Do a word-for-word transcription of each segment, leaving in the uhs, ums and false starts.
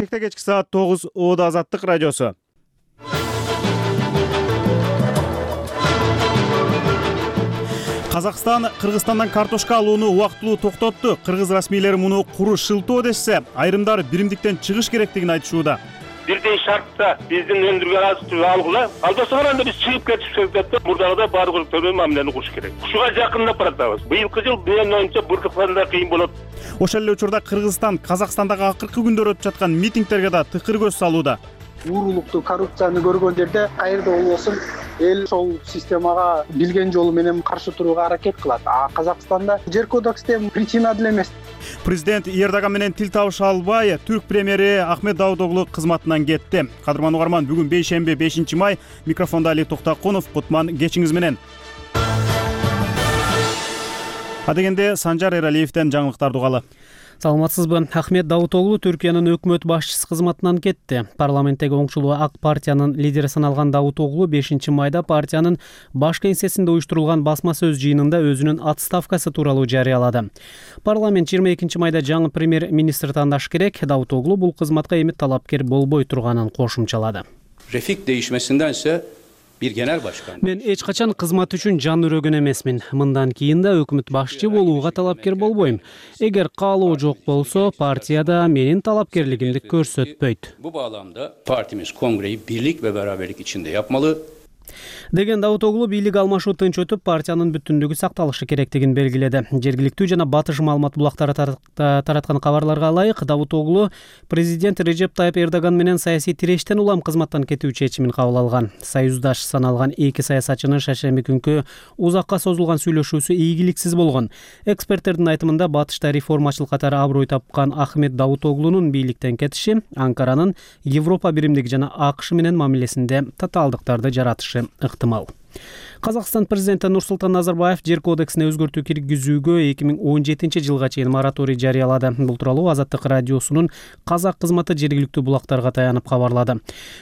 Бишкекте кечки саат тогуз Оодо Азаттык радиосу. Казакстан Кыргызстандан картошка алууну убактылуу токтотту. Кыргыз расмийлери муну куру шылтоо дешсе, айрымдар биримдиктен чыгыш керектигин айтышууда. Бирдей шартта биздин өндүргөн азык-түлүк алгыла. Албаса анда биз чыгып кетишибиз керек да, мурдагыдай баардык төрөм мамилени кылыш керек. Ушуга жакындап баратабыз. Быйылкы жыл менин оюмча быртыктанда кыйын болот. Ошол эле учурда Кыргызстан Казакстандагы акыркы күндөр өтүп жаткан митингтерге да тыкыр көз салууда. Уурулукту, коррупцияны көргөндөрдө кайерде болбосун эл ошол системага билген жолу менен каршы турууга аракет кылат. А Казакстанда жер кодексте причина деле эмес. Президент Эрдоган менен тил табыша албай, түрк премьери Ахмет Давутоглу кызматынан кетти. Кадырман угарман, бүгүн бейшемби бешинчи май. Микрофондо Али Токтакунов. Кутман кечиңиз менен. Адегенде Санжар Эралиевден жаңылыктарды угалы. Саламатсызбы? Ахмет Давутоглу Түркиянын өкмөт башчысы кызматынан кетти. Парламенттеги оңчулуу Ак партиянын лидери саналган Давутоглу бешинчи майда партиянын баш кеңсесинде уюштурулган басма сөз жыйынында өзүнүн отставкасы тууралуу жарыялады. Парламент жыйырма экинчи майда жаңы премьер-министр тандаш керек. Давутоглу бул кызматка эми талапкер болбой турганын кошумчалады. Рефик değişmesinden bir genel başkan. Мен эч качан кызмат үчүн жан өрөгөн эмесмин. Мындан кийин да өкмөт башчы болууга талапкер болбойм. Эгер каалоо жок болсо, партияда менин талапкерлигимди көрсөтпөйт. Bu bağlamda partimiz kongreyi birlik ve beraberlik içinde yapmalı. Деген Давутоглу бийлик алмашуу тынч өтүп, партиянын бүтүндүгү сакталышы керектигин белгиледи. Жергиликтүү жана батыш маалымат булактары тараткан кабарларга ылайык, Давутоглу президент Режеп Тайып Эрдоган менен саясий тирештен улам кызматтан кетүү чечимин кабыл алган. Союздаш саналган эки саясатчынын шаршемби күнкү узакка созулган сүйлөшүүсү ийгиликсиз болгон. Эксперттердин айтымында батышта реформачылык катары аброй тапкан Ахмет Давутоглунун бийликтен кетиши Анкаранын Европа биримдиги жана АКШ менен мамилесинде татаалдыктарды жаратышы ыктымал. Казакстан президенти Нурсултан Назарбаев жер кодексине өзгөртүү киргизүүгө эки миң он жетинчи жылга чейин мораторий жарыялады. Бул тууралуу Азаттык радиосунун казак кызматы жергиликтүү булактарга таянып кабарлады.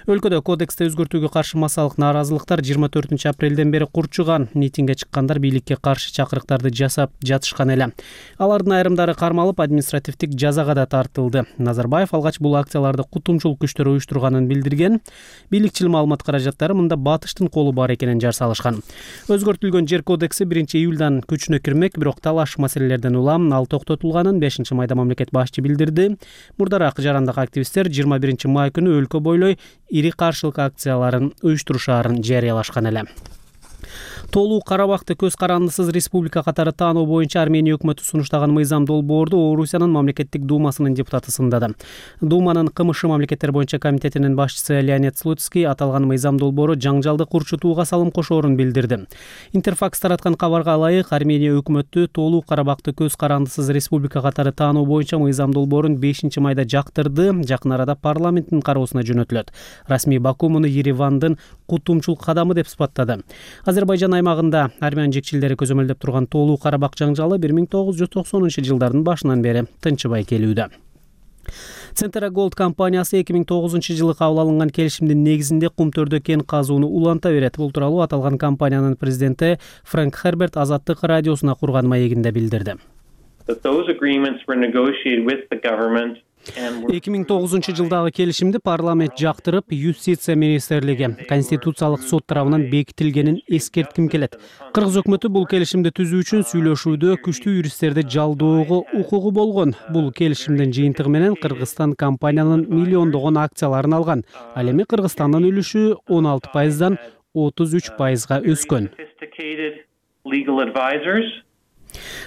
Өлкөдө кодексте өзгөртүүгө каршы массалык нааразылыктар жыйырма төртүнчү апрелден бери курчуган. Митингге чыккандар бийликке каршы чакырыктарды жасап жатышкан эле. Алардын айрымдары кармалып, административдик жазага да тартылды. Назарбаев алгач бул акцияларды кутумчулук күчтөр уюштурганын билдирген. Бийликчил маалымат каражаттары мында батыштын колу бар экенин жар салышкан. Өзгөртүлгөн жер кодекси биринчи июлдан күчүнө кирмек, бирок талаш маселелерден улам ал токтотулганын бешинчи майда мамлекет башчы билдирди. Мурдараак жарандык активисттер жыйырма биринчи май күнү өлкө бойлой ири каршылык акцияларын уюштурушаарын жарыялашкан эле. Толуу Карабакты көз карандысыз республика катары таануу боюнча Армения өкмөтү сунуштаган мыйзам долбоорду Орусиянын мамлекеттик думасынын депутаты сындады. Думанын КМШ мамлекеттер боюнча комитетинин башчысы Леонид Слуцкий аталган мыйзам долбоору жаңжалды курчутууга салым кошоорун билдирди. Интерфакс тараткан кабарга ылайык, Армения өкмөтү Толуу Карабакты көз карандысыз республика катары таануу боюнча мыйзам долбоорун бешинчи майда жактырды. Жакын арада парламенттин кароосуна жөнөтүлөт. Расмий Баку муну Еревандын кутумчулук кадамы деп сыпаттады. Азербайжан аймагында армян жекчилдери көзөмөлдөп турган Толуу Карабак жаңжалы бир миң тогуз жүз токсонунчу жылдардын башынан бери тынчыбай келүүдө. Центра Голд компаниясы эки миң тогузунчу жылы кабыл алынган келишимдин негизинде кумтөрдө кен казууну уланта берет. Бул тууралуу аталган компаниянын президенти Фрэнк Херберт Азаттык радиосуна курган маегинде билдирди. эки миң тогузунчу жылдагы келишимди парламент жактырып, Юстиция министрлиги, Конституциялык сот тарабынан бекитилгенин эскертким келет. Кыргыз өкмөтү бул келишимди түзүү үчүн сүйлөшүүдө күчтүү юристтерди жалдоого укугу болгон. Бул келишимдин жыйынтыгы менен Кыргызстан компаниянын миллиондогон акцияларын алган. Ал эми Кыргызстандын үлүшү он алты пайыздан отуз үч пайызга өскөн.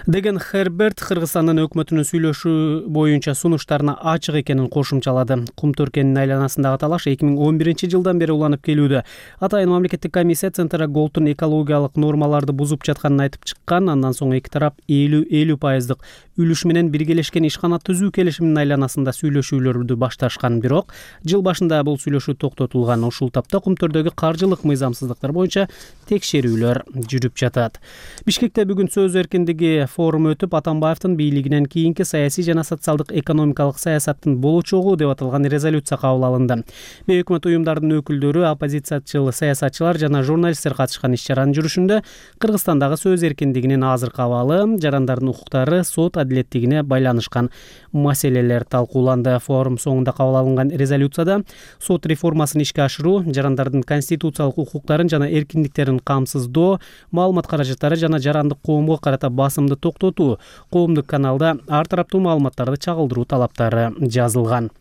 Деген Херберт Кыргызстандын өкмөтүнүн сүйлөшүү боюнча сунуштарына ачык экенин кошумчалады. Кумтөр кенинин айланасындагы талаш эки миң он биринчи жылдан бери уланып келүүдө. Атайын мамлекеттик комиссия Центра Голдтун экологиялык нормаларды бузуп жатканын айтып чыккан. Андан соң эки тарап элүү элүү пайыздык үлүш менен биргелешкен ишкана түзүү келишиминин айланасында сүйлөшүүлөрдү башташкан. Бирок жыл башында бул сүйлөшүү токтотулган. Ушул тапта кумтөрдөгү каржылык мыйзамсыздыктар боюнча текшерүүлөр жүрүп жатат. Бишкекте бүгүн сөз эркиндиги форум өтүп, Атамбаевдин бийлигинен кийинки саясий жана социалдык экономикалык саясаттын болочогу деп аталган резолюция кабыл алынды. Бейөкмөт уюмдардын өкүлдөрү, оппозициячыл саясатчылар жана журналисттер катышкан иш-чаранын жүрүшүндө Кыргызстандагы сөз эркиндигинин азыркы абалы, жарандардын укуктары, сот адилеттигине байланышкан маселелер талкууланды. Форум соңунда кабыл алынган резолюцияда сот реформасын ишке ашыруу, жарандардын конституциялык укуктарын жана эркиндиктерин камсыздоо, маалымат каражаттары жана жарандык коомго карата басымды токтотуу, коомдук каналда ар тараптуу маалыматтарды чагылдыруу талаптары жазылган.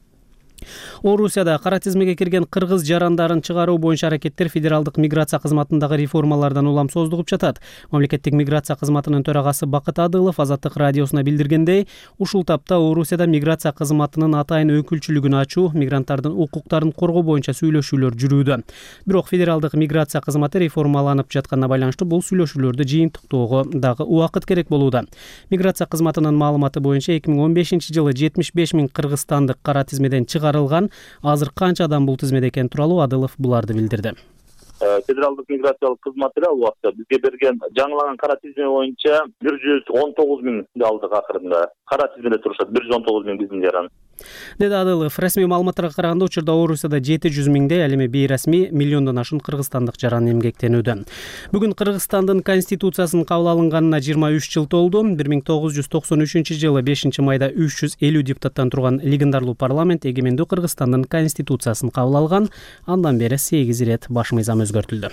Орусияда кара тизмеге кирген кыргыз жарандарын чыгаруу боюнча аракеттер федералдык миграция кызматындагы реформалардан улам создугуп жатат. Мамлекеттик миграция кызматынын төрагасы Бакыт Адылов Азаттык радиосуна билдиргендей, ушул тапта Орусияда миграция кызматынын атайын өкүлчүлүгүн ачуу, мигранттардын укуктарын коргоо боюнча сүйлөшүүлөр жүрүүдө. Бирок федералдык миграция кызматы реформаланып жатканына байланыштуу бул сүйлөшүүлөрдү жыйынтыктоого дагы убакыт керек болууда. Миграция кызматынын маалыматы боюнча эки миң он бешинчи жылы жетимиш беш миң кыргызстандык кара тизмеден чыгарылган. Азыр канча адам бул тизмеде экени тууралуу Адылов буларды билдирди. Федералдык миграциялык кызматы ал убакта бизге берген жаңылаган кара тизме боюнча бир жүз он тогуз миңди алдык. Акырында кара тизмеде турушат бир жүз он тогуз миң биздин жаран. Деди Адылов, расмий маалыматтарга караганда учурда Орусияда жети жүз миңдей, ал эми бейрасмий миллиондон ашуун кыргызстандык жаран эмгектенүүдө. Бүгүн Кыргызстандын конституциясынын кабыл алынганына жыйырма үч жыл толду. бир миң тогуз жүз токсон үчүнчү жылы бешинчи майда үч жүз элүү депутаттан турган легендарлуу парламент эгемендүү Кыргызстандын конституциясын кабыл алган. Андан бери сегиз ирет баш мыйзам өзгөртүлдү.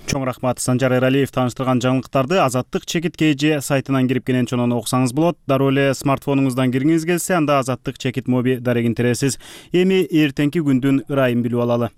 Чоң рахмат. Санжар Эралиев тааныштырган жаңылыктарды Азаттык чекит kg сайтынан кирип кенен чонон окусаңыз болот. Дароо эле смартфонуңуздан киргиңиз келсе, анда Азаттык чекит моби дарегин тересиз. Эми эртеңки күндүн ырайын билип алалы.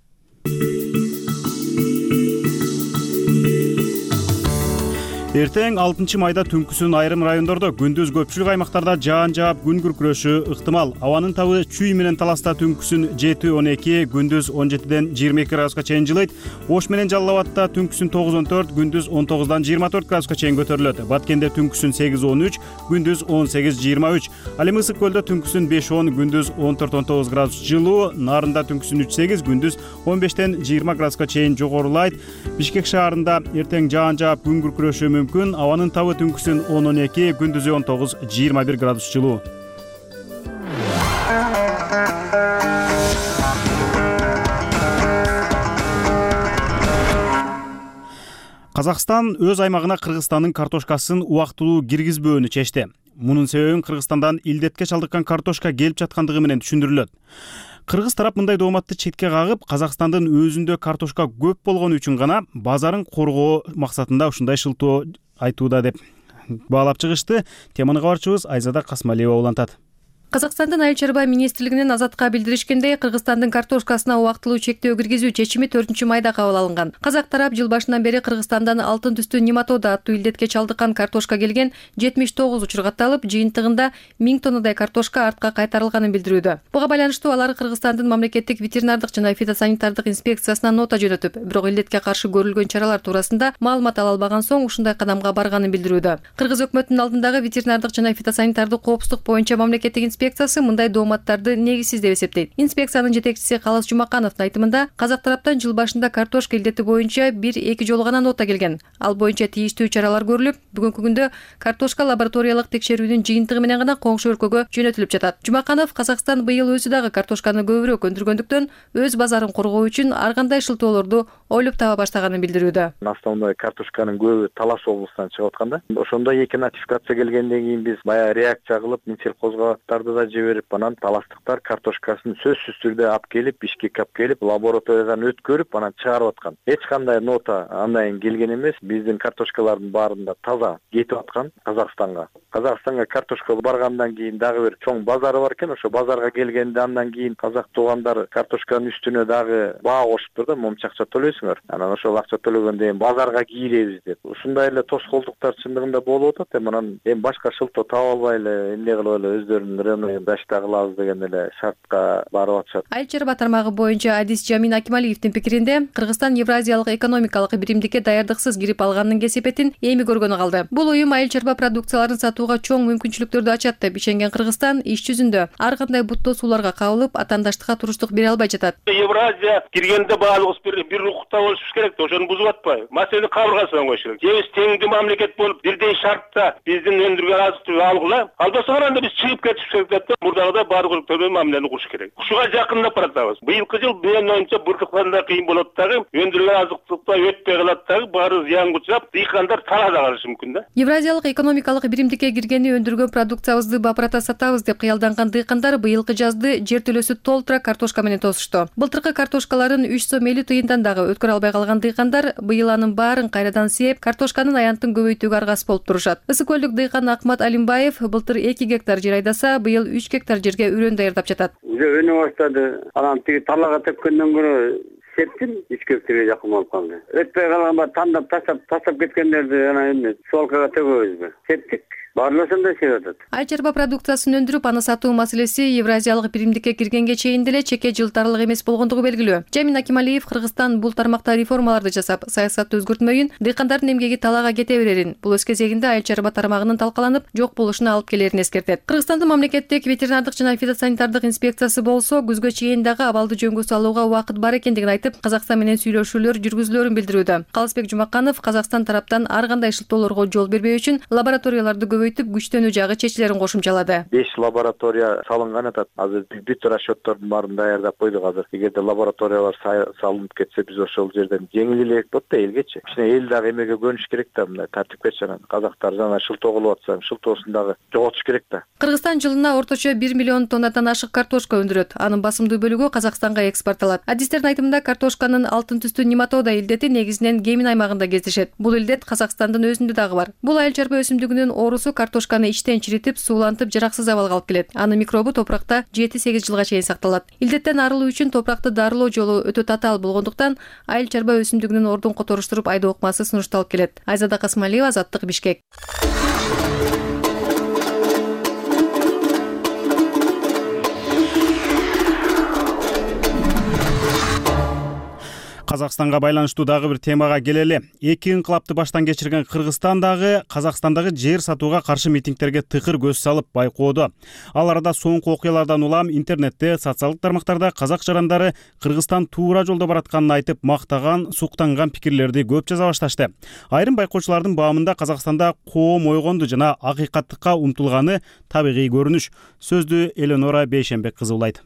Эртең алтынчы майда түнкүсүн айрым райондордо, күндүз көпчүлүк аймактарда жаан жаап, күн күркүрөшү ыктымал. Абанын табы чүй менен таласта түнкүсүн жети он эки, күндүз он жетиден жыйырма эки градуска чейин жылыйт. Ош менен Жалал Абадта түнкүсүн тогуз он төрт, күндүз он тогуздан жыйырма төрт градуска чейин көтөрүлөт. Баткенде түнкүсүн сегиз он үч, күндүз он сегиз жыйырма үч. Ал эми Ысык көлдө түнкүсүн беш он, күндүз он төрт он тогуз градус жылуу. Нарында түнкүсүн үч сегиз, күндүз он бештен жыйырма градуска чейин жогорулайт. Бишкек шаарында эртең жаан жаап, күн күркүрөшү мүмкүн. Абанын табы түнкүсүн он он эки, күндүзү он тогуз жыйырма бир градус жылуу. Казакстан өз аймагына Кыргызстандын картошкасын убактылуу киргизбөөнү чечти. Мунун себебин Кыргызстандан илдетке чалдыккан картошка келип жаткандыгы менен түшүндүрүлөт. Кыргыз тарап мындай дооматты четке кагып, Казакстандын өзүндө картошка көп болгону үчүн гана базарын коргоо максатында ушундай шылтоо айтууда деп баалап чыгышты. Теманы кабарчыбыз Айзада Касмалиева улантат. Казакстандын Айыл чарба министрлигинин Азатка билдиришкендей, Кыргызстандын картошкасына убактылуу чектөө киргизүү чечими төртүнчү майда кабыл алынган. Казак тарап жыл башынан бери Кыргызстандан алтын түстүү нематода аттуу илдетке чалдыккан картошка келген жетимиш тогуз учур катталып, жыйынтыгында миң тоннадай картошка артка кайтарылганын билдирүүдө. Буга байланыштуу алар Кыргызстандын мамлекеттик ветеринардык жана фитосанитардык инспекциясына нота жөнөтүп, бирок илдетке каршы көрүлгөн чаралар туурасында маалымат ала албаган соң ушундай кадамга барганын билдирүүдө. Кыргыз өкмөтүнүн алдындагы ветеринардык жана фитосанитардык коопсуздук боюнча мамлекеттик инспекциясы мындай дооматтарды негизсиз деп эсептейт. Инспекциянын жетекчиси Калыс Жумакановдун айтымында, Казак тараптан жыл башында картошка илдети боюнча бир-эки жолу гана нота келген. Ал боюнча тийиштүү чаралар көрүлүп, бүгүнкү күндө картошка лабораториялык текшерүүнүн жыйынтыгы менен гана коңшу өлкөгө жөнөтүлүп жатат. Жумаканов Казакстан быйыл өзү дагы картошканы көбүрөөк өндүргөндүктөн өз базарын коргоо үчүн ар кандай шылтоолорду ойлоп таба баштаганын билдирүүдө. Основной картошканын көбү Талас облусунан чыгып атканда, ошондо эки нотификация келгенден кийин биз баягы реакция кылып, Минсельхозгаттарды да жиберип, анан таластыктар картошкасын сөзсүз түрдө алып келип, Бишкекке алып келип, лабораториядан өткөрүп, анан чыгарып аткан. Эч кандай нота андан келген эмес. Биздин картошкалардын баарында таза кетип аткан Казакстанга. Казакстанга картошка баргандан кийин дагы бир чоң базары бар экен. Ошо базарга келгенде андан кийин казак туугандар картошканын үстүнө дагы баа кошуптур да, момча акча төлөйсүңөр. Анан ошол акча төлөгөндөн кийин базарга кийилебиз деп. Ушундай эле тоскоолдуктар чындыгында болуп атат. Эми анан эми башка шылтоо таба албай эле эмне кылып эле өздөрүнүн рыногун дашта кылабыз деген эле шартка барып атышат. Айыл чарба тармагы боюнча Адис Жамин Акималиевдин пикиринде, Кыргызстан Евразиялык экономикалык биримдикке даярдыксыз кирип алганын кесепетин эми көргөнү калды. Бул уюм айыл чарба продукцияларын сатууга чоң мүмкүнчүлүктөрдү ачат деп ишенген Кыргызстан иш жүзүндө ар кандай буттоосууларга кабылып, атаандаштыкка туруштук бере албай жатат. Евразия киргенде баалыбыз бир бир укукта болушубуз керек да, ошону бузуп атпайбы? Маселени кабыргасынан коюш керек. Же биз теңдүү мамлекет болуп, бирдей шартта биздин өндүргөн азык түлүк алгыла, албаса анда биз чыгып кетишибиз керек кетип атат. Мурдагыдай баары көрүктөр менен мамилени кылыш керек. Ушуга жакындап баратабыз. Быйылкы жыл менин оюмча бырдыктанда кыйын болот дагы, өндүрүлгөн азык-түлүктөр өтпөй калат дагы, баары зыянга учурап, дыйкандар талаада калышы мүмкүн да. Евразиялык экономикалык биримдикке киргени өндүргөн продукциябызды бапырата сатабыз деп кыялданган дыйкандар быйылкы жазды жер төлөсү толтура картошка менен тосушту. Былтыркы картошкаларын үч сом элүү тыйындан дагы өткөрө албай калган дыйкандар быйыл анын баарын кайрадан сээп, картошканын аянтын көбөйтүүгө аргасыз болуп турушат. Ысык көлдүк дыйкан Акмат Алимбаев былтыр эки гектар жер айдаса, быйыл үч гектар жерге үрөн даярдап жатат. Уже өнө баштады. Анан тиги талага тепкенден көрө септим үч гектарга жакын болуп калды. Өтпөй калганба тандап таштап таштап кеткендерди ана эме свалкага төгөбүзбү? Септик. Барлашында сеп атат. Айыл чарба продукциясын өндүрүп, аны сатуу маселеси Евразиялык биримдикке киргенге чейин деле чекке жылтарлык эмес болгондугу белгилүү. Жамин Акималиев Кыргызстан бул тармакта реформаларды жасап, саясатты өзгөртмөйүн, дыйкандардын эмгеги талаага кете берерин, бул өз кезегинде айыл чарба тармагынын талкаланып, жок болушуна алып келерин эскертет. Кыргызстандын мамлекеттик ветеринардык жана фитосанитардык инспекциясы болсо күзгө чейин дагы абалды жөнгө салууга убакыт бар экендигин айтып, Казакстан менен сүйлөшүүлөр жүргүзүлөрүн билдирүүдө. Калысбек Жумаканов Казакстан тараптан ар кандай шылтоолорго жол бербөө үчүн лабораторияларды көбөйтүп, күчтөнүү жагы чечилерин кошумчалады. беш лаборатория салынган атат. Азыр бүт расчёттордун баарын даярдап койдук азыр. Эгерде лабораториялар салынып кетсе, биз ошол жерден жеңил эле болот да элгечи. Кичине эл дагы эмеге көнүш керек да, мындай тартипке чана. Казактар жана шылтоо кылып атса, шылтоосун дагы жоготуш керек да. Кыргызстан жылына орточо бир миллион тоннадан ашык картошка өндүрөт. Анын басымдуу бөлүгү Казакстанга экспортталат. Адистердин айтымында картошканын алтын түстүү нематода илдети негизинен Гемин аймагында кездешет. Бул илдет Казакстандын өзүндө дагы бар. Бул айыл чарба өсүмдүгүнүн оорусу картошканы иштен чиритип, суулантып, жараксыз абалга алып келет. Анын микробу топуракта жети сегиз жылга чейин сакталат. Илдеттен арылуу үчүн топуракты дарылоо жолу өтө татаал болгондуктан айыл чарба өсүмдүгүнүн ордун которуштуруп айдоо ыкмасы сунушталып келет. Айзада Касмалиева, Азаттык, Бишкек. Казакстанга байланыштуу дагы бир темага келели. Эки инкылапты баштан кечирген Кыргызстан дагы Казакстандагы жер сатууга каршы митингтерге тыкыр көз салып байкоодо. Ал арада соңку окуялардан улам интернетте, социалдык тармактарда казак жарандары Кыргызстан туура жолдо баратканын айтып, мактаган, суктанган пикирлерди көп жаза башташты. Айрым байкоочулардын баамында Казакстанда коом ойгонду жана акыйкаттыкка умтулганы табигый көрүнүш. Сөздү Эленора Бейшенбек кызы улайт.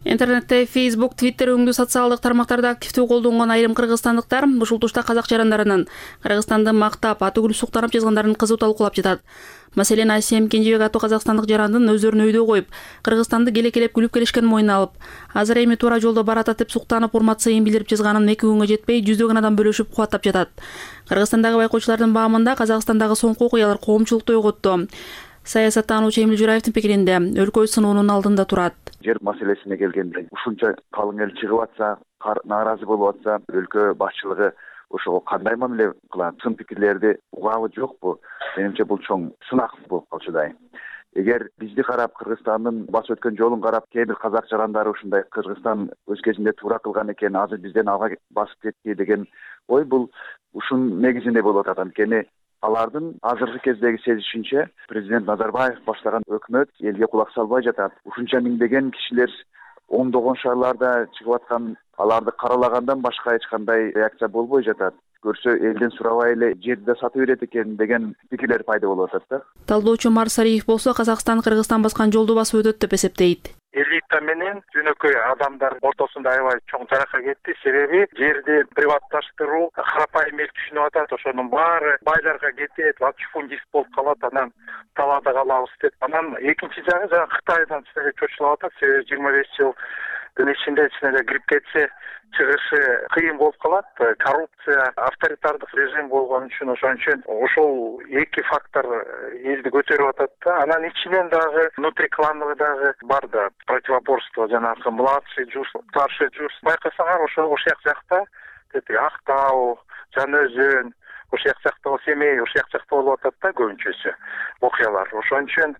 Интернетте, Facebook, Twitter өңдүү социалдык тармактарда активдүү колдонгон айрым кыргызстандыктар ушул тушта казак жарандарынын Кыргызстанды мактап, аты күлүп суктанып жазгандарынын кызуу талкуулап жатат. Маселен, Асем Кенжебек аттуу казакстандык жарандын өздөрүн өйдө коюп, Кыргызстанды келекелеп күлүп келишкенин мойнуна алып, азыр эми туура жолдо барат атып суктанып, урмат сыйын билдирип жазганын эки күнгө жетпей жүздөгөн адам бөлүшүп кубаттап жатат. Кыргызстандагы байкоочулардын баамында Казакстандагы соңку окуялар коомчулукту ойготту. Саясаттануучу Эмил Жураевдин пикиринде, өлкө сынуунун алдында турат. Жер маселесине келгенде ушунча калың эл чыгып атса, нааразы болуп атса, өлкө башчылыгы ошого кандай мамиле кылат? Сын пикирлерди угабы жокпу? Менимче бул чоң сынак болуп калчудай. Эгер бизди карап, Кыргызстандын басып өткөн жолун карап, кээ бир казак жарандары ушундай Кыргызстан өз кезинде туура кылган экен, азыр бизден алга басып кетти деген ой, бул ушунун негизинде болуп атат. Анткени алардын азыркы кездеги сезишинче президент Назарбаев баштаган өкмөт элге кулак салбай жатат. Ушунча миңдеген кишилер ондогон шаарларда чыгып аткан, аларды каралагандан башка эч кандай реакция болбой жатат. Көрсө элден сурабай эле жерди да сатып берет экен деген пикирлер пайда болуп атат да. Талдоочу Марс Ариев болсо Казакстан Кыргызстан баскан жолду басып өтөт деп эсептейт. Элита менен жөнөкөй адамдар ортосунда аябай чоң жарака кетти. Себеби жерди приватташтыруу карапайым эл түшүнүп атат. Ошонун баары байларга кетет, латифундист болуп калат, анан талаада калабыз деп. Анан экинчи жагы жана Кытайдан силерге чочулап атат. Себеби жыйырма беш жылдын ичинде ичине кирип кетсе чыгышы кыйын болуп калат. Коррупция, авторитардык режим болгон үчүн ошон үчүн ошол эки фактор элди көтөрүп атат да. Анан ичинен дагы внутриклановый дагы бар да, противоборство, жанагы младший жуз, старший жуз. Байкасаңар ошо ошол жакта Актау, Жаңы-Өзөн, ошол жакта Семей, ошол жакта болуп атат да көбүнчөсү окуялар. Ошон үчүн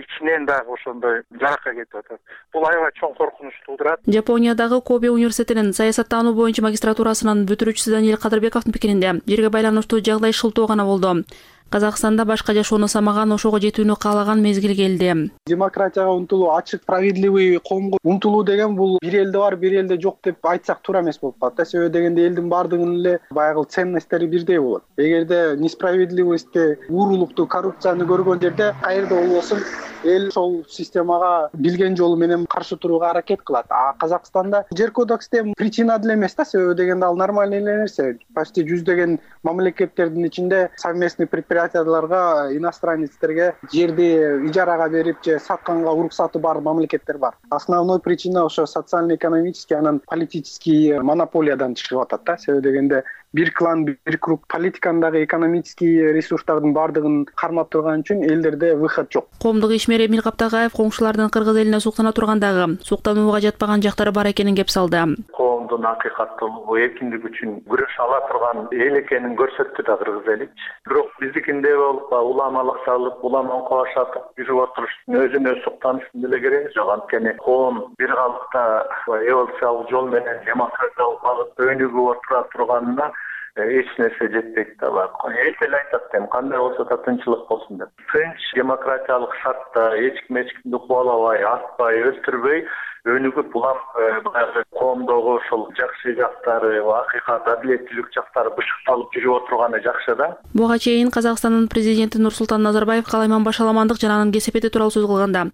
ичинен дагы ошондой жарака кетип атат. Бул аябай чоң коркунуч туудурат. Япониядагы Кобе университетинин саясаттануу боюнча магистратурасынын бүтүрүүчүсү Даниэль Кадырбековдун пикиринде жерге байланыштуу жагдай шылтоо гана болду. Казакстанда башка жашоону самаган, ошого жетүүнү каалаган мезгил келди. Демократияга умтулуу, ачык, справедливый коомго умтулуу деген бул бир элде бар, бир элде жок деп айтсак туура эмес болуп калат да. Себеби дегенде элдин баардыгынын эле баягы ценносттери бирдей болот. Эгерде несправедливостьти, уурулукту, коррупцияны көргөн жерде каерде болбосун эл ошол системага билген жолу менен каршы турууга аракет кылат. А Казакстанда жер кодексте причина деле эмес да, себеби дегенде ал нормальный эле нерсе. Почти жүздөгөн мамлекеттердин ичинде совместный предприятияларга, иностранецтерге жерди ижарага берип же сатканга уруксаты бар мамлекеттер бар. Основной причина ошо социально-экономический, анан политический монополиядан чыгып атат да. Себеби дегенде бир клан, бир круг политикандагы экономический ресурстардын баардыгын кармап турган үчүн элдерде выход жок. Коомдук ишмер Эмил Каптагаев коңшулардын кыргыз элине суктана тургандагы суктанууга жатпаган жактары бар экенин кеп салды. Коомдун акыйкаттуулугу, эркиндик үчүн күрөш ала турган эл экенин көрсөттү да кыргыз эли. Бирок биздикинде болуп уламалык салып, улама кошатып жүрүп отуруштун өзүнө суктануштун деле кереги жок. Анткени коом бир калыпта эволюциялык жол менен демократиялык багытта өнүгүп отура турганына эч нерсе жетпейт да бар. Эл эле айтат эми кандай болсо да тынччылык болсун деп. Тынч демократиялык шартта эч ким эч кимди кубалабай, атпай, өлтүрбөй өнүгүп улам баягы коомдогу ошол жакшы жактары, акыйкат, адилеттүүлүк жактары бышыкталып жүрүп отурганы жакшы да. Буга чейин Казакстандын президенти Нурсултан Назарбаев калайман башаламандык жана анын кесепети тууралуу сөз кылганда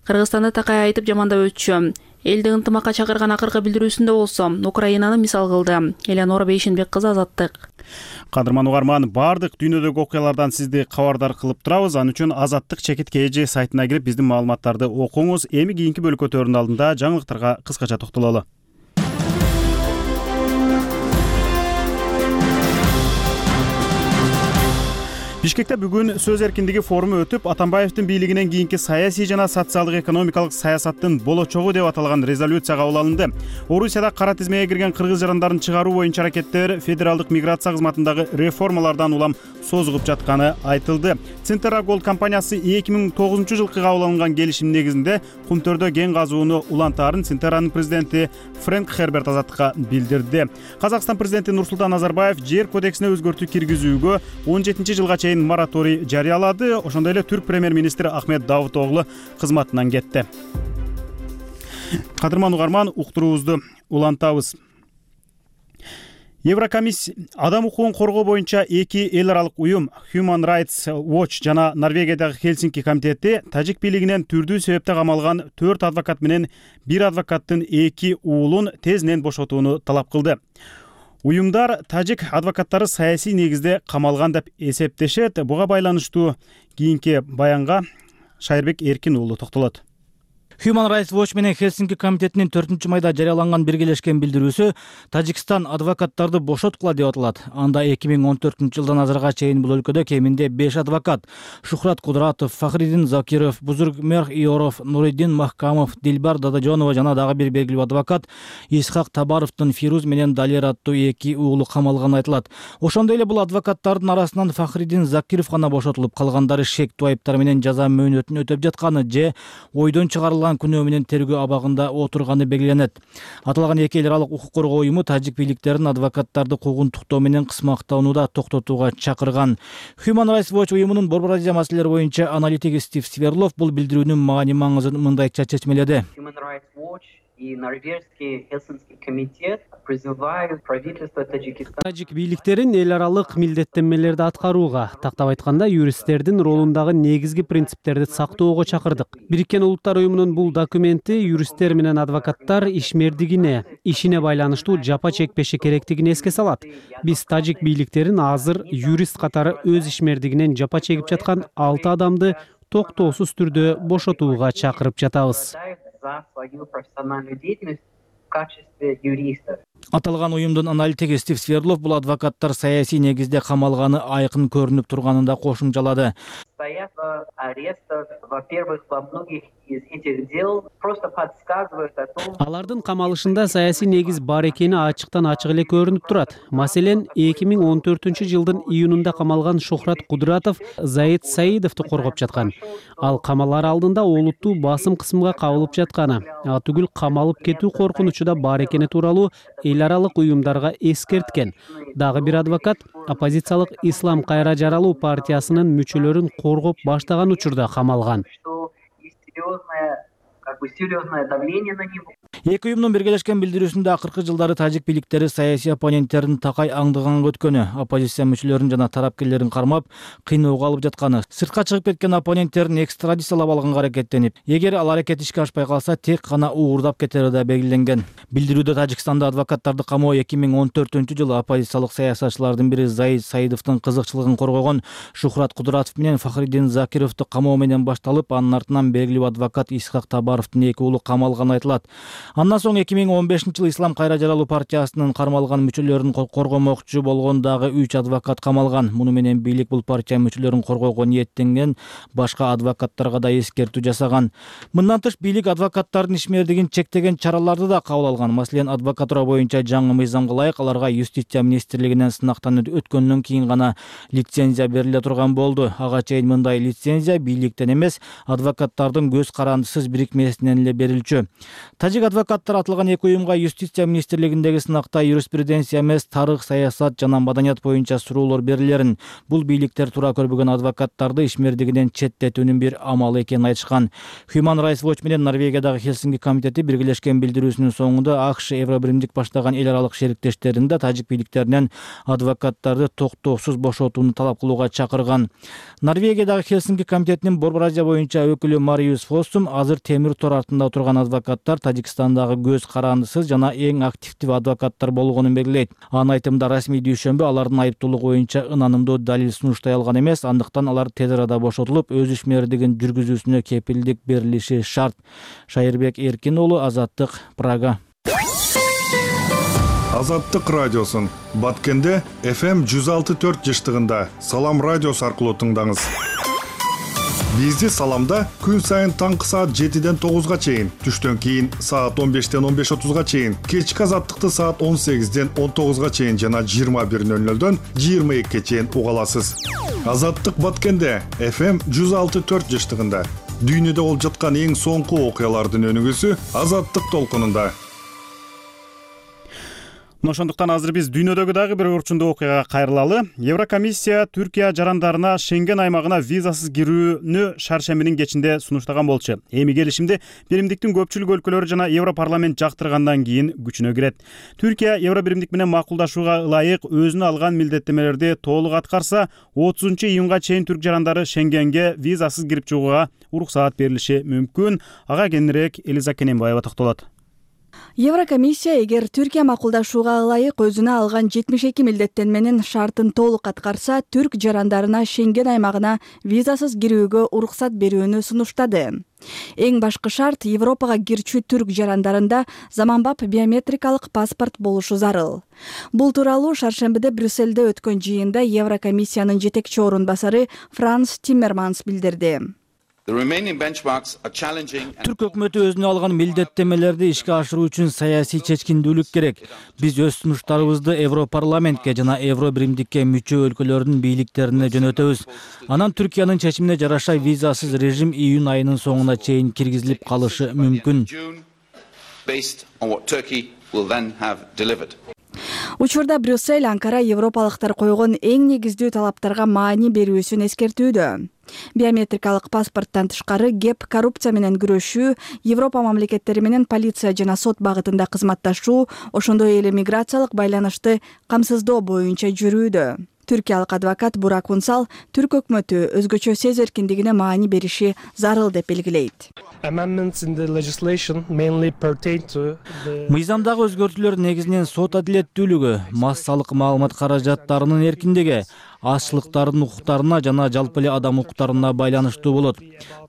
Кыргызстанды такай айтып жамандап өтчү. Элди ынтымакка чакырган акыркы билдирүүсүндө болсо Украинаны мисал кылды. Элеонора Бейшенбек кызы, Азаттык. Кадырман угарман, бардык дүйнөдөгү окуялардан сизди кабардар кылып турабыз. Аны үчүн Азаттык чекит эже сайтына кирип биздин маалыматтарды окуңуз. Эми кийинки бөлкөтөрдүн алдында жаңылыктарга кыскача токтололу. Бишкекте бүгүн сөз эркиндиги форуму өтүп, Атамбаевдин бийлигинен кийинки саясий жана социалдык экономикалык саясаттын болочогу деп аталган резолюция кабыл алынды. Орусияда кара тизмеге кирген кыргыз жарандарын чыгаруу боюнча аракеттер федералдык миграция кызматындагы реформалардан улам созулуп жатканы айтылды. Центра Голд компаниясы эки миң тогузунчу жылкы кабыл алынган келишим негизинде кумтөрдө кен казууну улантаарын Центранын президенти Фрэнк Херберт Азаттыкка билдирди. Казакстан президенти Нурсултан Назарбаев жер кодексине өзгөртүү киргизүүгө он жетинчи жылга чейин мораторий жарыялады. Ошондой эле түрк премьер-министри Ахмет Давутоглу кызматынан кетти. Кадырман угарман, уктуруубузду улантабыз. Еврокомиссия адам укугун коргоо боюнча эки эл аралык уюм Human Rights Watch жана Норвегиядагы Хельсинки комитети тажик бийлигинен түрдүү себепте камалган төрт адвокат менен бир адвокаттын эки уулун тезинен бошотууну талап кылды. Уюмдар тажик адвокаттары саясий негизде камалган деп эсептешет. Буга байланыштуу кийинки баянга Шайырбек Эркин уулу токтолот. Human Rights Watch менен Хельсинки комитетинин төртүнчү майда жарыяланган биргелешкен билдирүүсү Тажикстан адвокаттарды бошоткула деп аталат. Анда эки миң он төртүнчү жылдан азыркыга чейин бул өлкөдө кеминде беш адвокат — Шухрат Кудратов, Фахридин Закиров, Бузургмерх Иоров, Нуриддин Махкамов, Дилбар Дадажонова жана дагы бир белгилүү адвокат Исхак Табаровдун Фируз менен Далер аттуу эки уулу камалганы айтылат. Ошондой эле бул адвокаттардын арасынан Фахридин Закиров гана бошотулуп, калгандары шектүү айыптар менен жаза мөөнөтүн өтөп жатканы же ойдон чыгарылган күнөө менен тергөө абагында отурганы белгиленет. Аталган эки эл аралык укук коргоо уюму тажик бийликтерин адвокаттарды куугунтуктоо менен кысмактоону токтотууга чакырган. Human Rights Watch уюмунун Борбор Азия маселелери боюнча аналитиги Стив Сверлов бул билдирүүнүн маани маңызын мындайча чечмеледи. Human Rights Watch и норвежский Хельсинский комитет призывают правительство Таджикистана тажик бийликтерин эл аралык милдеттенмелерди аткарууга, тактап айтканда юристтердин ролундагы негизги принциптерди сактоого чакырдык. Бириккен Улуттар уюмунун бул документи юристтер менен адвокаттар ишмердигине, ишине байланыштуу жапа чекпеши керектигин эске салат. Биз тажик бийликтерин азыр юрист катары өз ишмердигинен жапа чегип жаткан алты адамды токтоосуз түрдө бошотууга чакырып жатабыз. за свою профессиональную деятельность в качестве юристов. Аталган уюмдун аналитиги Стив Сверлов бул адвокаттар саясий негизде камалганы айкын көрүнүп турганын да кошумчалады. стоят арестах. Во-первых, во многих из этих дел просто подсказывают о том. Алардын камалышында саясий негиз бар экени ачыктан ачык эле көрүнүп турат. Маселен, эки миң он төртүнчү жылдын июнунда камалган Шухрат Кудратов Заид Саидовду коргоп жаткан. Ал камалар алдында олуттуу басым кысымга кабылып жатканы, а түгүл камалып кетүү коркунучу да бар экени тууралуу эл аралык уюмдарга эскерткен. Дагы бир адвокат оппозициялык Ислам кайра жаралуу партиясынын мүчөлөрүн коргоп баштаган учурда камалган. Как бы серьезное давление на него. Эки уюмдун биргелешкен билдирүүсүндө акыркы жылдары тажик бийликтери саясий оппоненттерин такай аңдыганга өткөнү, оппозиция мүчөлөрүн жана тарапкерлерин кармап, кыйноого алып жатканы, сыртка чыгып кеткен оппоненттерин экстрадициялап алганга аракеттенип, эгер ал аракет ишке ашпай калса, тек гана уурдап кетери да белгиленген. Билдирүүдө Тажикстанда адвокаттарды камоо эки миң он төртүнчү жылы оппозициялык саясатчылардын бири Заид Саидовдун кызыкчылыгын коргогон Шухрат Кудратов менен Фахриддин Закировду камоо менен башталып, анын артынан белгилүү адвокат Исхак Табаровдун эки уулу камалганы айтылат. Андан соң эки миң он бешинчи жылы Ислам кайра жаралуу партиясынын кармалган мүчөлөрүн коргомокчу болгон дагы үч адвокат камалган. Муну менен бийлик бул партия мүчөлөрүн коргоого ниеттенген башка адвокаттарга да эскертүү жасаган. Мындан тыш бийлик адвокаттардын ишмердигин чектеген чараларды да кабыл алган. Маселен, адвокатура боюнча жаңы мыйзамга ылайык аларга юстиция министрлигинен сынактан өткөндөн кийин гана лицензия бериле турган болду. Ага чейин мындай лицензия бийликтен эмес, адвокаттардын көз карандысыз бирикмесинен эле берилчү. Тажик адвокаттар атылган эки уюмга юстиция министрлигиндеги сынакта юриспруденция эмес, тарых, саясат жана маданият боюнча суроолор берилерин, бул бийликтер туура көрбөгөн адвокаттарды ишмердигинен четтетүүнүн бир амалы экенин айтышкан. Human Rights Watch менен Норвегиядагы Хелсинки комитети биргелешкен билдирүүсүнүн соңунда АКШ Евробиримдик баштаган эл аралык шериктештерин да тажик бийликтеринен адвокаттарды токтоосуз бошотууну талап кылууга чакырган. Норвегиядагы Хелсинки комитетинин Борбор Азия боюнча өкүлү Мариус Фоссум азыр темир тор артында турган адвокаттар Тажикстандагы көз карандысыз жана эң активдүү адвокаттар болгонун белгилейт. Анын айтымында расмий дүйшөмбү алардын айыптуулугу боюнча ынанымдуу далил сунуштай алган эмес, андыктан алар тез арада бошотулуп, өз ишмердигин жүргүзүүсүнө кепилдик берилиши шарт. Шайырбек Эркин уулу, Азаттык, Прага. Азаттык радиосун Баткенде эф эм жүз алты төрт жыштыгында Салам радиосу аркылуу тыңдаңыз. Бизди Саламда күн сайын таңкы саат жетиден тогузга чейин, түштөн кийин саат он бештен он беш отузга чейин, кечки Азаттыкты саат он сегизден он тогузга чейин жана жыйырма бир нөл нөлдөн жыйырма экиге чейин уга аласыз. Азаттык Баткенде эф эм жүз алты төрт жыштыгында дүйнөдө болуп жаткан эң соңку окуялардын өнүгүүсү Азаттык толкунунда. Ошондуктан азыр биз дүйнөдөгү дагы бир орчундуу окуяга кайрылалы. Еврокомиссия Түркия жарандарына Шенген аймагына визасыз кирүүнү шаршембинин кечинде сунуштаган болчу. Эми келишимди Биримдиктин көпчүлүк өлкөлөрү жана Европарламент жактыргандан кийин күчүнө кирет. Түркия Евробиримдик менен макулдашууга ылайык өзүнө алган милдеттемелерди толук аткарса, отузунчу июнга чейин түрк жарандары Шенгенге визасыз кирип чыгууга уруксаат берилиши мүмкүн. Ага кененирээк Элиза Кененбаева токтолот. Еврокомиссия эгер Түркия макулдашууга ылайык өзүнө алган жетимиш эки милдеттенменин шартын толук аткарса, түрк жарандарына Шенген аймагына визасыз кирүүгө уруксат берүүнү сунуштады. Эң башкы шарт Европага кирчү түрк жарандарында заманбап биометрикалык паспорт болушу зарыл. Бул тууралуу шаршембиде Брюссельде өткөн жыйында Еврокомиссиянын жетекчи орун басары Франс Тиммерманс билдирди. Түрк өкмөтү өзүнө алган милдеттемелерди ишке ашыруу үчүн саясий чечкиндүүлүк керек. Биз өз сунуштарыбызды Европарламентке жана Евробиримдикке мүчө өлкөлөрдүн бийликтерине жөнөтөбүз. Анан Түркиянын чечимине жараша визасыз режим июнь айынын соңуна чейин киргизилип калышы мүмкүн. Учурда Брюссель Анкара европалыктар койгон эң негиздүү талаптарга маани берүүсүн эскертүүдө. Биометрикалык паспорттон тышкары кеп коррупция менен күрөшүү, Европа мамлекеттери менен полиция жана сот багытында кызматташуу, ошондой эле миграциялык байланышты камсыздоо боюнча жүрүүдө. Түркиялык адвокат Бурак Унсал түрк өкмөтү өзгөчө сөз эркиндигине маани бериши зарыл деп белгилейт. Мыйзамдагы өзгөртүүлөр негизинен сот адилеттүүлүгү, массалык маалымат каражаттарынын эркиндиги, азчылыктардын укуктарына жана жалпы эле адам укуктарына байланыштуу болот.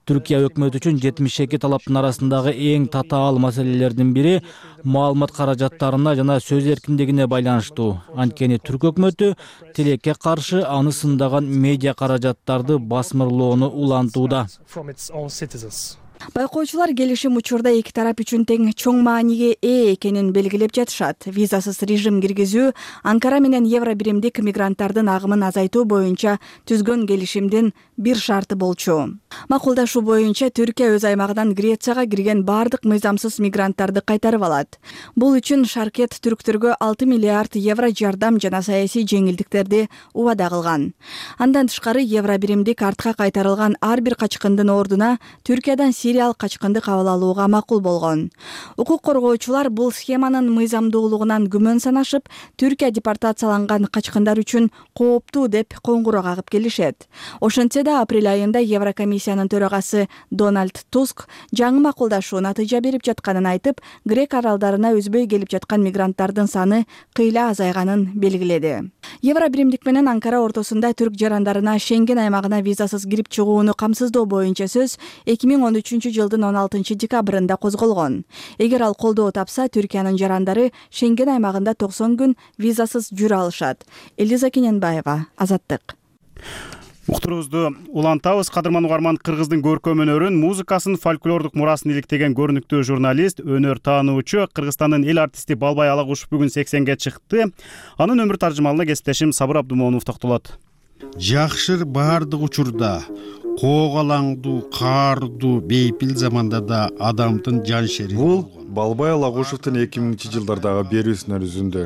Түркия өкмөтү үчүн жетимиш эки талаптын арасындагы эң татаал маселелердин бири маалымат каражаттарына жана сөз эркиндигине байланыштуу. Анткени түрк өкмөтү тилекке каршы аны сындаган медиа каражаттарды басмырлоону улантууда. Байкоочулар келишим учурда эки тарап үчүн тең чоң мааниге ээ экенин белгилеп жатышат. Визасыз режим киргизүү Анкара менен евро биримдик мигранттардын агымын азайтуу боюнча түзгөн келишимдин бир шарты болчу. Макулдашуу боюнча Түркия өз аймагынан Грецияга кирген бардык мыйзамсыз мигранттарды кайтарып алат. Бул үчүн Шаркет түрктөргө алты миллиард евро жардам жана саясий жеңилдиктерди убада кылган. Андан тышкары евро биримдик артка кайтарылган ар бир качкындын ордуна Түркиядан сириялык качкынды кабыл алууга макул болгон. Укук коргоочулар бул схеманын мыйзамдуулугунан күмөн санашып, Түркия депортацияланган качкындар үчүн кооптуу деп коңгуроо кагып келишет. Ошентсе да апрель айында Еврокомиссиянын төрагасы Дональд Туск жаңы макулдашуу натыйжа берип жатканын айтып, Грек аралдарына үзбөй келип жаткан мигранттардын саны кыйла азайганын белгиледи. Евро биримдик менен Анкара ортосунда түрк жарандарына Шенген аймагына визасыз кирип чыгууну камсыздоо боюнча сөз эки миң он үчүнчү жылдын он алтынчы декабрында козголгон. Эгер ал колдоо тапса, Түркиянын жарандары Шенген аймагында токсон күн визасыз жүрө алышат. Элиза Кененбаева, Азаттык. Уктуруубузду улантабыз. Кадырман угарман, кыргыздын көркөм өнөрүн, музыкасын, фольклордук мурасын иликтеген көрүнүктүү журналист, өнөр таануучу Кыргызстандын эл артисти Балбай Алагушев бүгүн сексенге чыкты. Анын өмүр таржымалына кесиптешим Сабыр Абдумонов токтолот. Жакшыр баардык учурда, коогалаңдуу, каардуу, бейпил заманда да адамдын жан шери. Бул Балбай Алагушевдин эки миңинчи жылдардагы берүүсүнөн үзүндү.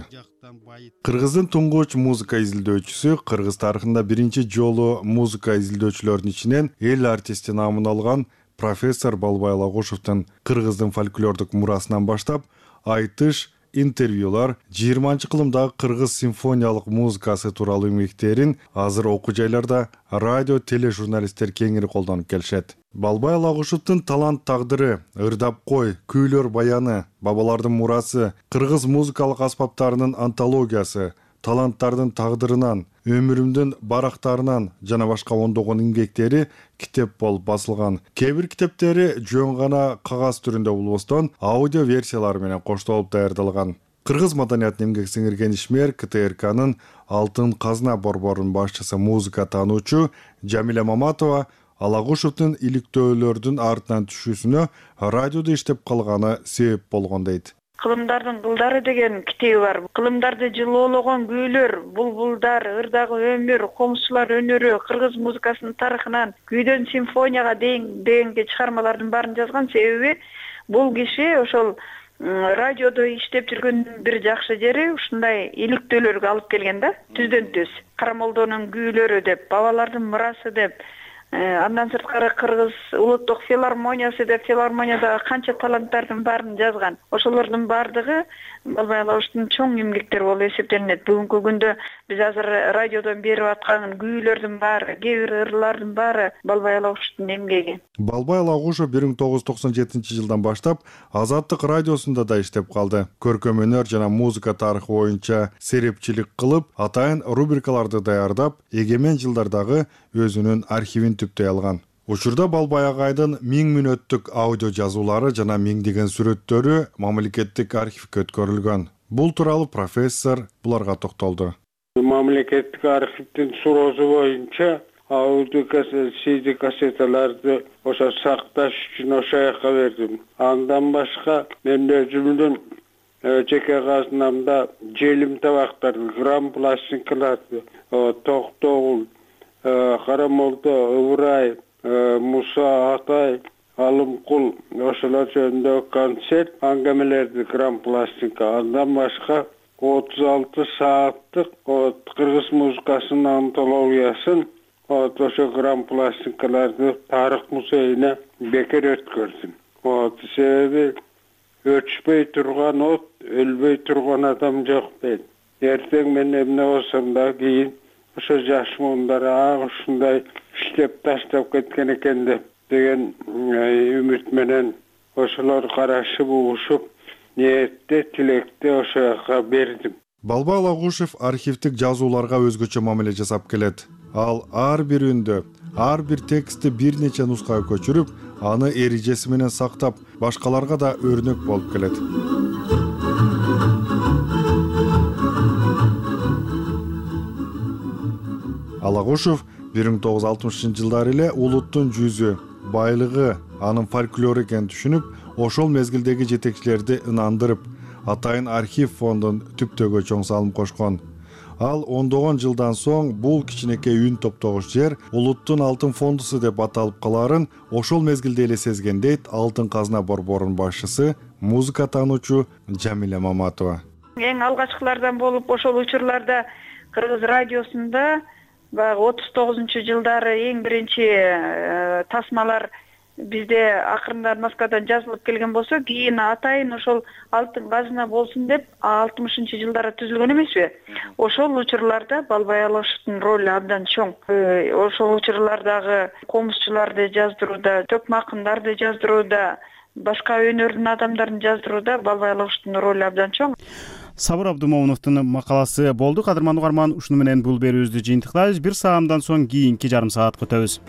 Кыргыздын туңгуч музыка изилдөөчүсү, кыргыз тарыхында биринчи жолу музыка изилдөөчүлөрдүн ичинен эл артисти наамын алган профессор Балбай Алагушевдин кыргыздын фольклордук мурасынан баштап айтыш, интервьюлар, жыйырманчы кылымдагы кыргыз симфониялык музыкасы тууралуу эмгектерин азыр окуу жайларда радио, тележурналисттер кеңири колдонуп келишет. Балбай Алагушевдин талант тагдыры, ырдап кой, күүлөр баяны, бабалардын мурасы, кыргыз музыкалык аспаптарынын антологиясы, таланттардын тагдырынан, өмүрүмдүн барактарынан жана башка ондогон эмгектери китеп болуп басылган. Кээ бир китептери жөн гана кагаз түрүндө болбостон, аудио версиялары менен коштолуп даярдалган. Кыргыз маданиятын эмгек сиңирген ишмер ка тэ эр канын Алтын казна борборунун башчысы, музыка таануучу Жамиля Маматова Алагушевдин иликтөөлөрдүн артынан түшүүсүнө радиодо иштеп калганы себеп болгон дейт. Кылымдардын кылдары деген китеби бар. Кылымдарды жылоологон күүлөр, булбулдар, ырдагы өмүр, комузчулар өнөрү, кыргыз музыкасынын тарыхынан күйдөн симфонияга дейин дегенге чыгармалардын баарын жазган. Себеби бул киши ошол радиодо иштеп жүргөндүн бир жакшы жери ушундай иликтөөлөргө алып келген да, түздөн түз. Карамолдонун күүлөрү деп, бабалардын мурасы деп, андан сырткары кыргыз улуттук филармониясы деп, филармониядагы канча таланттардын баарын жазган. Ошолордун баардыгы Балбай Алагушевдин чоң эмгектери болуп эсептелинет. Бүгүнкү күндө биз азыр радиодон берип аткан күүлөрдүн баары, кээ бир ырлардын баары Балбай Алагушевдин эмгеги. Балбай Алагушев бир миң тогуз жүз токсон жетинчи жылдан баштап Азаттык радиосунда да иштеп калды. Көркөм өнөр жана музыка тарыхы боюнча серепчилик кылып, атайын рубрикаларды даярдап, эгемен жылдардагы өзүнүн архивин түптөй алган. Учурда Балбай агайдын миң мүнөттүк аудио жазуулары жана миңдеген сүрөттөрү мамлекеттик архивге өткөрүлгөн. Бул тууралуу профессор буларга токтолду. Мамлекеттик архивдин суроосу боюнча аудио си ди кассеталарды ошо сакташ үчүн ошол жака бердим. Андан башка мен өзүмдүн жеке казынамда желим табактар, грамм пластинкаларды, Токтогул, Карамолдо, Ыбырай, Муса Атай, Алымкул, ошолор жөнүндө концерт, аңгемелерди грамм пластинка. Андан башка отуз алты сааттык кыргыз музыкасынын антологиясын ошо грамм пластинкаларды тарых музейине бекер өткөрдүм. Себеби өчпөй турган от, өлбөй турган адам жок дейт. Эртең мен эмне болсом да кийин ошо жаш муундар ушундай иштеп таштап кеткен экен деп деген үмүт менен ошолор карашып угушуп, ниетте, тилекте ошо жака бердим. Балбай Алагушев архивдик жазууларга өзгөчө мамиле жасап келет. Ал ар бир үндү, ар бир текстти бир нече нускага көчүрүп, аны эрежеси менен сактап, башкаларга да өрнөк болуп келет. Алагушев бир миң тогуз жүз алтымышынчы жылдары эле улуттун жүзү, байлыгы, анын фольклору экенин түшүнүп, ошол мезгилдеги жетекчилерди ынандырып, Атайын архив фондун түптөгө чоң салым кошкон. Ал ондогон жылдан соң бул кичинекей үн топтогуч жер улуттун алтын фондусу деп аталып калаарын ошол мезгилде эле сезген дейт Алтын казына борборунун башчысы, музыка таануучу Жамиля Маматова. Эң алгачкылардан болуп ошол учурларда Кыргыз радиосунда баягы отуз тогузунчу жылдары эң биринчи тасмалар бизде акырындан Москвадан жазылып келген болсо, кийин атайын ошол Алтын казына болсун деп алтымышынчы жылдары түзүлгөн эмеспи? Ошол учурларда Балбай Алагушевдун ролу абдан чоң. Ошол учурлардагы комузчуларды жаздырууда, төкмө акындарды жаздырууда, башка өнөрдүн адамдарын жаздырууда Балбай Алагушевдун ролу абдан чоң. Сабыр Абдумомуновдун макаласы болду. Кадырман угарман, ушуну менен бул берүүбүздү жыйынтыктайбыз. Бир саамдан соң кийинки жарым саатка өтөбүз.